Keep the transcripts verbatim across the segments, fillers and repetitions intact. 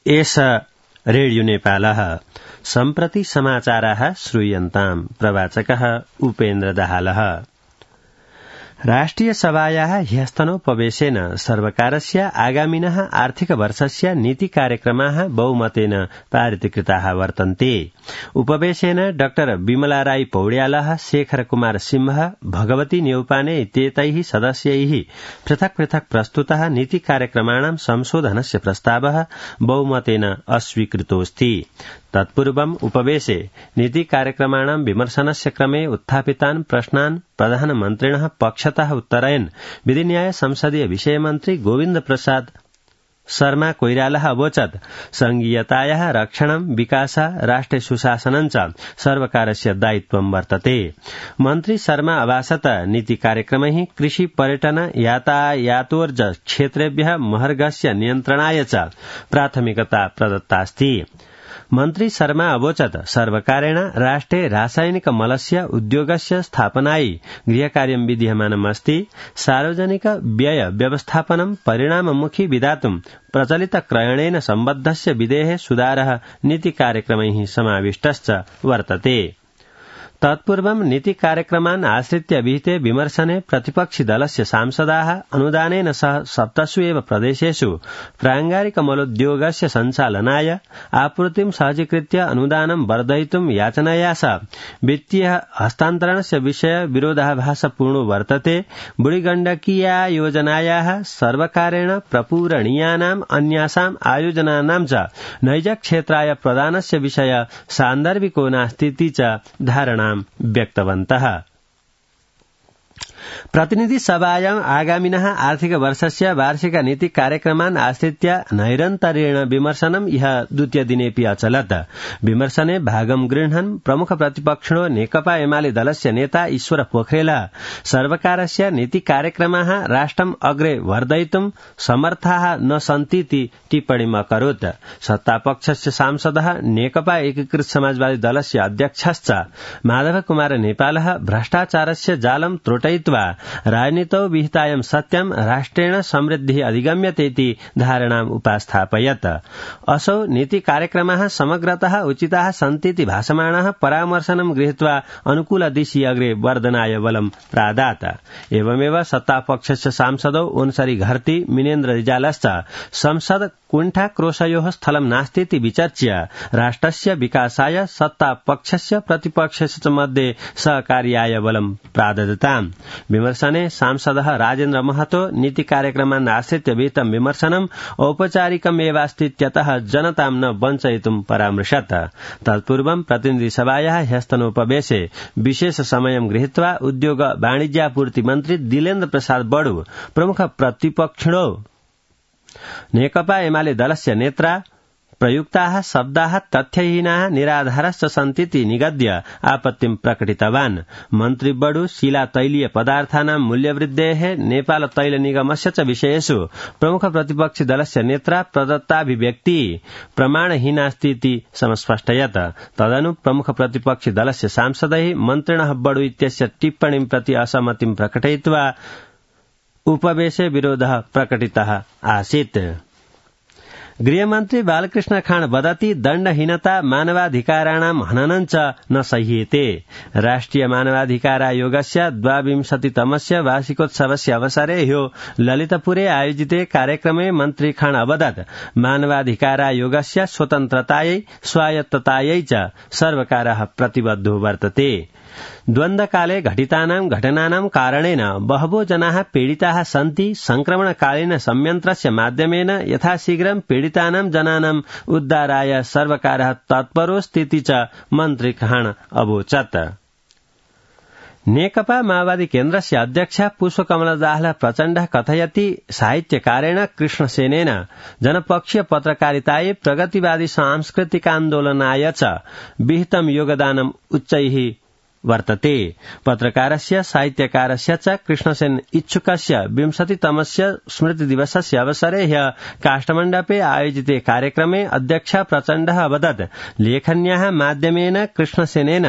एष रेडियो नेपालः सम्प्रति समाचाराः श्रूयन्ताम् प्रवाचकः उपेन्द्र दाहालः। राष्ट्रिय सभायाः ह्यस्तनोपवेशेन सर्वकारस्य आगामिनः आर्थिक वर्षस्य नीति कार्यक्रमाः बहुमतेन पारितीकृताः वर्तन्ते। उपवेशेन डाक्टर विमला राई पौड्यालः, शेखर कुमार सिंह, भगवती न्यौपाने इत्येतैः सदस्यैः पृथक् पृथक् प्रस्तुतः नीति कार्यक्रमाणां संशोधनस्य प्रस्तावः बहुमतेन अस्वीकृतोऽस्ति। तत्पूर्वम् उपवेशे नीति कार्यक्रमाणां विमर्शनस्य क्रमे उत्थापितान् प्रश्नान् प्रधानमन्त्रिणः पक्षतः उत्तरयन् विधिन्याय संसदीय विषयमन्त्री गोविन्द प्रसाद शर्मा कोइरालः अवोचत् संघीयतायाः रक्षणं, विकासः, राष्ट्रे सुशासनं च सर्वकारस्य दायित्वं वर्तते। मन्त्री शर्मा अभाषत नीति कार्यक्रमैः कृषि, पर्यटन, यातायातोर्ज क्षेत्रेभ्यः महर्घस्य नियन्त्रणाय च प्राथमिकता प्रदत्तास्ति। मन्त्री शर्मा अवोचत् सर्वकारेण राष्ट्रे रासायनिक मलस्य उद्योगस्य स्थापनायै गृहकार्यं विधीयमानमस्ति। सार्वजनिक व्यय व्यवस्थापनं परिणाममुखी विधातुं प्रचलित क्रयणेन सम्बद्धस्य विधेः सुधारः नीति कार्यक्रमैः समाविष्टश्च वर्तते। तत्पूर्वं नीति कार्यक्रमान् आश्रित्य विहिते विमर्शने प्रतिपक्षि दलस्य सांसदाः अनुदानेन सह सप्तसु एव प्रदेशेषु प्राङ्गारिक मलोद्योगस्य सञ्चालनाय आपूर्तिं सहजीकृत्य अनुदानं वर्धयितुं याचनया सह वित्तीय हस्तान्तरणस्य विषय विरोधाभासपूर्णो वर्तते। बुढीगण्डकीया योजनायाः सर्वकारेण प्रपूरणीयानाम् अन्यासाम् आयोजनानां च नैजक्षेत्राय प्रदानस्य विषय सान्दर्भिको नास्तीति च धारणा व्यक्तवन्तः। प्रतिनिधि सभायां आगामिनः आर्थिक वर्षस्य वार्षिक नीति कार्यक्रमान् आश्रित्य नैरन्तर्येण विमर्शनं ह्यः द्वितीय दिनेऽपि अचलत्। विमर्शने भागं गृह्णन् प्रमुख प्रतिपक्षिणो नेकपा एमाले दलस्य नेता ईश्वर पोखरेल सर्वकारस्य नीति कार्यक्रमाः राष्ट्रम् अग्रे वर्धयितुं समर्थाः न सन्तीति टिप्पणीम् अकरोत्। सत्तापक्षस्य सांसदः नेकपा एकीकृत समाजवादी दलस्य अध्यक्षश्च माधव कुमार नेपालः भ्रष्टाचारस्य जालं त्रोटयित्वा राजनीतौ विहितायं सत्यं राष्ट्रेण समृद्धिः अधिगम्यतेति धारणाम् उपास्थापयत्। असौ नीति कार्यक्रमाः समग्रतः उचिताः सन्तीति भाषमाणः परामर्शनं गृहीत्वा अनुकूलदिशि अग्रे वर्धनाय बलं प्रादात्। एवमेव सत्तापक्षस्य सांसदौ ओन्सरी घरती, मिनेन्द्र रिजालश्च संसद कुण्ठाक्रोशयोः स्थलं नास्तीति विचर्च्य राष्ट्रस्य विकासाय सत्तापक्षस्य प्रतिपक्षस्य च मध्ये सहकार्याय बलं प्राददताम्। विमर्शने सांसदः राजेन्द्र महतो नीति कार्यक्रमान् आश्रित्य विहितं विमर्शनं औपचारिकमेवास्तीत्यतः जनतां न वञ्चयितुं परामृशत्। तत्पूर्वं प्रतिनिधि सभायाः ह्यस्तनोपवेशे विशेष समयं गृहीत्वा उद्योग वाणिज्यापूर्ति मन्त्री दिलेन्द्र प्रसाद बडु, प्रमुख प्रतिपक्षिणो नेकपा एमाले दलस्य नेत्रा प्रयुक्ताः शब्दाः तथ्यहीनाः निराधारश्च सन्तीति निगद्य आपत्तिं प्रकटितवान्। मन्त्री बडु शिला तैलीय पदार्थानां मूल्यवृद्धेः, नेपाल तैल निगमस्य च विषयेषु प्रमुख प्रतिपक्षि दलस्य नेत्रा प्रदत्ताभिव्यक्ति प्रमाणहीनास्तीति समस्पष्टयत्। तदनु प्रमुख प्रतिपक्षि दलस्य सांसदैः मन्त्रिणः बडु इत्यस्य टिप्पणीं प्रति असहमतिं प्रकटयित्वा उपवेशे विरोधः प्रकटितः आसीत्। गृहमन्त्री बालकृष्ण खाँड वदति दण्डहीनता मानवाधिकाराणां हननं च न सह्येते। राष्ट्रिय मानवाधिकारायोगस्य द्वाविंशतितमस्य वार्षिकोत्सवस्य अवसरे ह्यो ललितपुरे आयोजिते कार्यक्रमे मन्त्री खाँड अवदत् मानवाधिकारायोगस्य स्वतन्त्रतायै स्वायत्ततायै च सर्वकारः प्रतिबद्धो वर्तते। द्वन्द्वकाले घटितानां घटनानां कारणेन बहवो जनाः पीडिताः सन्ति। संक्रमणकालीन संयन्त्रस्य माध्यमेन यथाशीघ्रं पीडितानां जनानां उद्धाराय सर्वकारः तत्परोऽस्तीति च मन्त्री खाँड अवोचत्। नेकपा माओवादी केन्द्रस्य अध्यक्ष पुष्पकमल दाहाल प्रचण्डः कथयति साहित्यकारेण कृष्णसेनेन जनपक्षीय पत्रकारितायै प्रगतिवादी सांस्कृतिकान्दोलनाय च विहितं योगदानम् उच्चैः वर्तते। पत्रकारस्य साहित्यकारस्य च कृष्णसेन इच्छुकस्य विंशतितमस्य स्मृतिदिवसस्य अवसरे ह्यः काष्ठमण्डपे आयोजिते कार्यक्रमे अध्यक्ष प्रचण्डः अवदत् लेखन्याः माध्यमेन कृष्णसेनेन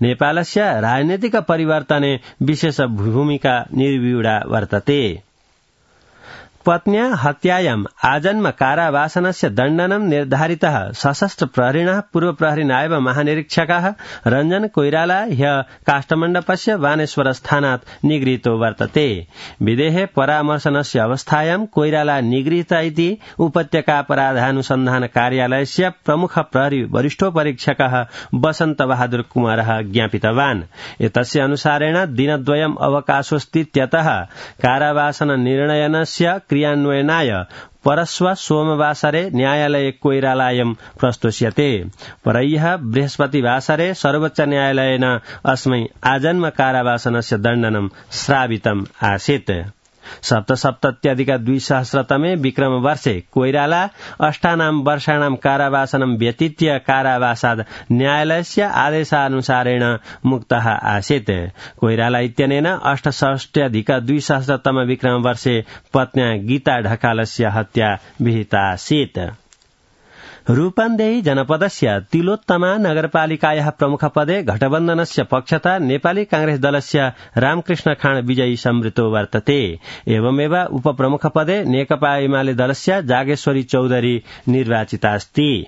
नेपालस्य राजनीतिक परिवर्तने विशेष भूमिका निर्व्यूढा वर्तते। पत्न्या हत्यायाम् आजन्म कारावासनस्य दण्डनं निर्धारितः सशस्त्र प्रहरिणः पूर्व प्रहरी नायब महानिरीक्षकः रञ्जन कोइराला ह्य काष्ठमण्डपस्य बानेश्वर स्थानात् निगृहीतो वर्तते। विदेहे परामर्शनस्य अवस्थायां कोइराला निगृहीत इति उपत्यकापराधानुसन्धान कार्यालयस्य प्रमुख प्रहरी वरिष्ठोपरीक्षकः वसन्त बहादुर कुमारः ज्ञापितवान्। एतस्य अनुसारेण दिनद्वयम् अवकाशोऽस्तीत्यतः कारावासन निर्णयनस्य क्रियान्वयनाय परश्व सोमवासरे न्यायालये कोइरालायं प्रस्तोष्यते। परह्यः बृहस्पतिवासरे सर्वोच्च न्यायालयेन अस्मै आजन्म कारावासनस्य दण्डनं श्रावितम् आसीत्। सप्तसप्तत्यधिक द्विसहस्रतमे विक्रम वर्षे कोइराला अष्टानां वर्षाणां कारावासनं व्यतीत्य कारावासाद् न्यायालयस्य आदेशानुसारेण मुक्तः आसीत्। कोइराला इत्यनेन अष्टषष्ट्यधिक द्विसहस्रतम विक्रम वर्षे पत्न्या गीता ढकालस्य हत्या विहिता आसीत्। रूपन्देही जनपदस्य तिलोत्तमा नगरपालिकायाः प्रमुखपदे घटबन्धनस्य पक्षतः नेपाली कांग्रेस दलस्य रामकृष्ण खाँड विजयी संवृतो वर्तते। एवमेव उपप्रमुखपदे नेकपा एमाले दलस्य जागेश्वरी चौधरी निर्वाचितास्ति।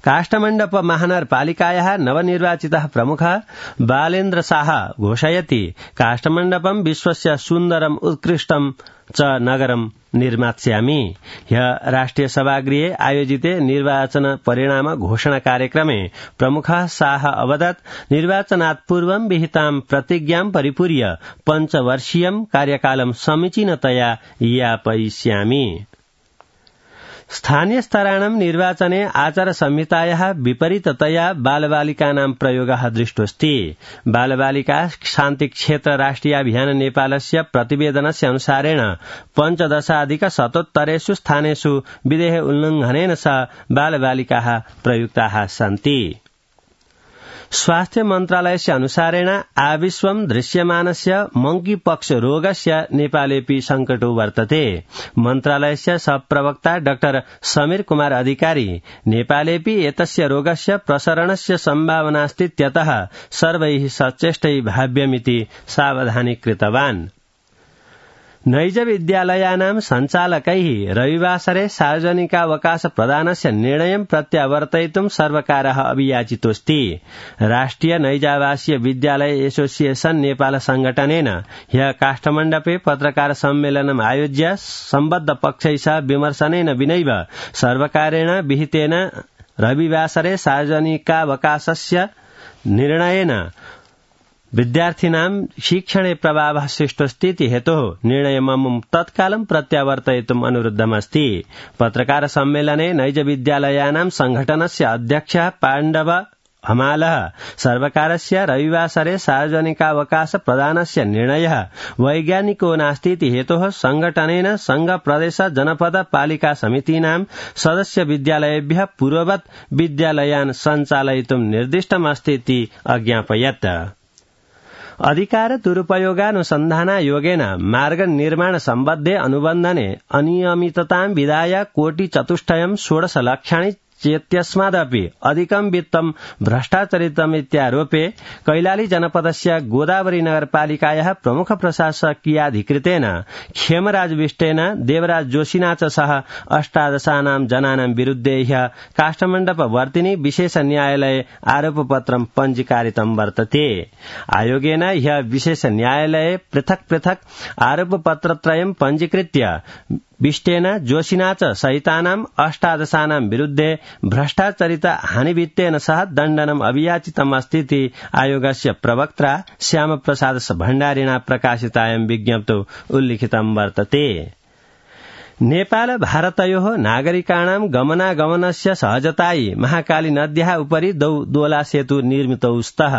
काष्ठमण्डप महानगरपालिकायाः नवनिर्वाचितः प्रमुखः बालेन्द्र शाह घोषयति काष्ठमण्डपं विश्वस्य सुन्दरम् उत्कृष्टं च नगरं निर्मास्यामि। ह्यः राष्ट्रिय सभागृहे आयोजिते निर्वाचन परिणाम घोषणा कार्यक्रमे प्रमुखः शाह अवदत् निर्वाचनात् पूर्वं विहितां प्रतिज्ञां परिपूर्य पञ्चवर्षीयं कार्यकालं समीचीनतया यापयिष्यामि। स्थानीय स्तराणां निर्वाचने आचार संहितायाः विपरीततया बालबालिकानां प्रयोगः दृष्टोऽस्ति। बालबालिका शान्तिक्षेत्र राष्ट्रियाभियान नेपालस्य प्रतिवेदनस्य अनुसारेण पञ्चदशाधिक शतोत्तरेषु स्थानेषु विधेः उल्लङ्घनेन सह बालबालिकाः प्रयुक्ताः सन्ति। स्वास्थ्य मन्त्रालयस्य अनुसारेण आविश्वं दृश्यमानस्य मंकीपक्ष रोगस्य नेपालेपि संकटो वर्तते। मन्त्रालयस्य सहप्रवक्ता डाक्टर समीर कुमार अधिकारी नेपालेपि एतस्य रोगस्य प्रसरणस्य सम्भावनास्तीत्यतः सर्वैः सचेष्टै भाव्यमिति सावधानी कृतवान्। नैज विद्यालयानां सञ्चालकैः रविवासरे सार्वजनिकावकाश प्रदानस्य निर्णयं प्रत्यावर्तयितुं सर्वकारः अभियाचितोऽस्ति। राष्ट्रिय नैजावासीय विद्यालय एसोसिएशन नेपाल संगठनेन ह्यः काष्ठमण्डपे पत्रकार सम्मेलनम् आयोज्य सम्बद्ध पक्षैः सह विमर्शनेन विनैव सर्वकारेण विहितेन रविवासरे सार्वजनिकावकाशस्य निर्णयेन विद्यार्थिनां शिक्षणे प्रभावः सृष्टोऽस्तीति हेतोः निर्णयममुं तत्कालं प्रत्यावर्तयितुम् अनुरुद्धमस्ति। पत्रकार सम्मेलने नैज विद्यालयानां संघटनस्य अध्यक्षः पाण्डव हमालः सर्वकारस्य रविवासरे सार्वजनिकावकाश प्रदानस्य निर्णयः वैज्ञानिको नास्तीति हेतोः संघटनेन संघ प्रदेश जनपद पालिका समितीनां सदस्य विद्यालयेभ्यः पूर्ववत् विद्यालयान् सञ्चालयितुं निर्दिष्टमस्तीति अज्ञापयत्। अधिकार दुरुपयोगानुसन्धानायोगेन मार्ग निर्माण सम्बद्धे अनुबन्धने अनियमिततां विधाय कोटि चतुष्टयं षोडश लक्षाणि चेत्यस्मादपि अधिकं वित्तं भ्रष्टाचरितमित्यारोपे कैलाली जनपदस्य गोदावरी नगरपालिकायाः प्रमुख प्रशासकीयाधिकृतेन खेमराज विष्टेन देवराज जोशिना च सह अष्टादशानां जनानां विरुद्धे ह्यः काष्ठमण्डप वर्तिनी विशेष न्यायालये आरोपपत्रं पञ्जीकारितं वर्तते। आयोगेन ह्यः विशेष न्यायालये पृथक् पृथक् आरोपपत्रत्रयं पञ्जीकृत्य विष्टेन जोशिना च सहितानाम् अष्टादशानां विरुद्धे भ्रष्टाचरित हानिवित्तेन सह दण्डनम् अभियाचितम् अस्तीति आयोगस्य प्रवक्त्रा श्यामप्रसाद भण्डारिणा प्रकाशितायां विज्ञप्तौ उल्लिखितं वर्तते। नेपाल भारतयोः नागरिकाणां गमनागमनस्य सहजतायै महाकाली नद्याः उपरि द्वौ दोला सेतु निर्मितौ स्तः।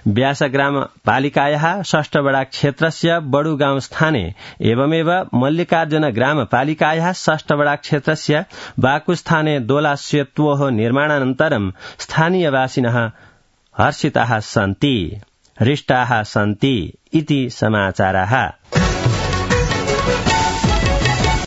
व्यासग्राम पालिकायाः षष्ठवडा क्षेत्रस्य बडुगाउँ स्थाने एवमेव मल्लिकार्जुन ग्राम पालिकायाः षष्ठवडा क्षेत्रस्य बाकुस्थाने दोला सेतोः निर्माणानन्तरं स्थानीयवासिनः हर्षिताः सन्ति, हृष्टाः सन्ति इति समाचारः।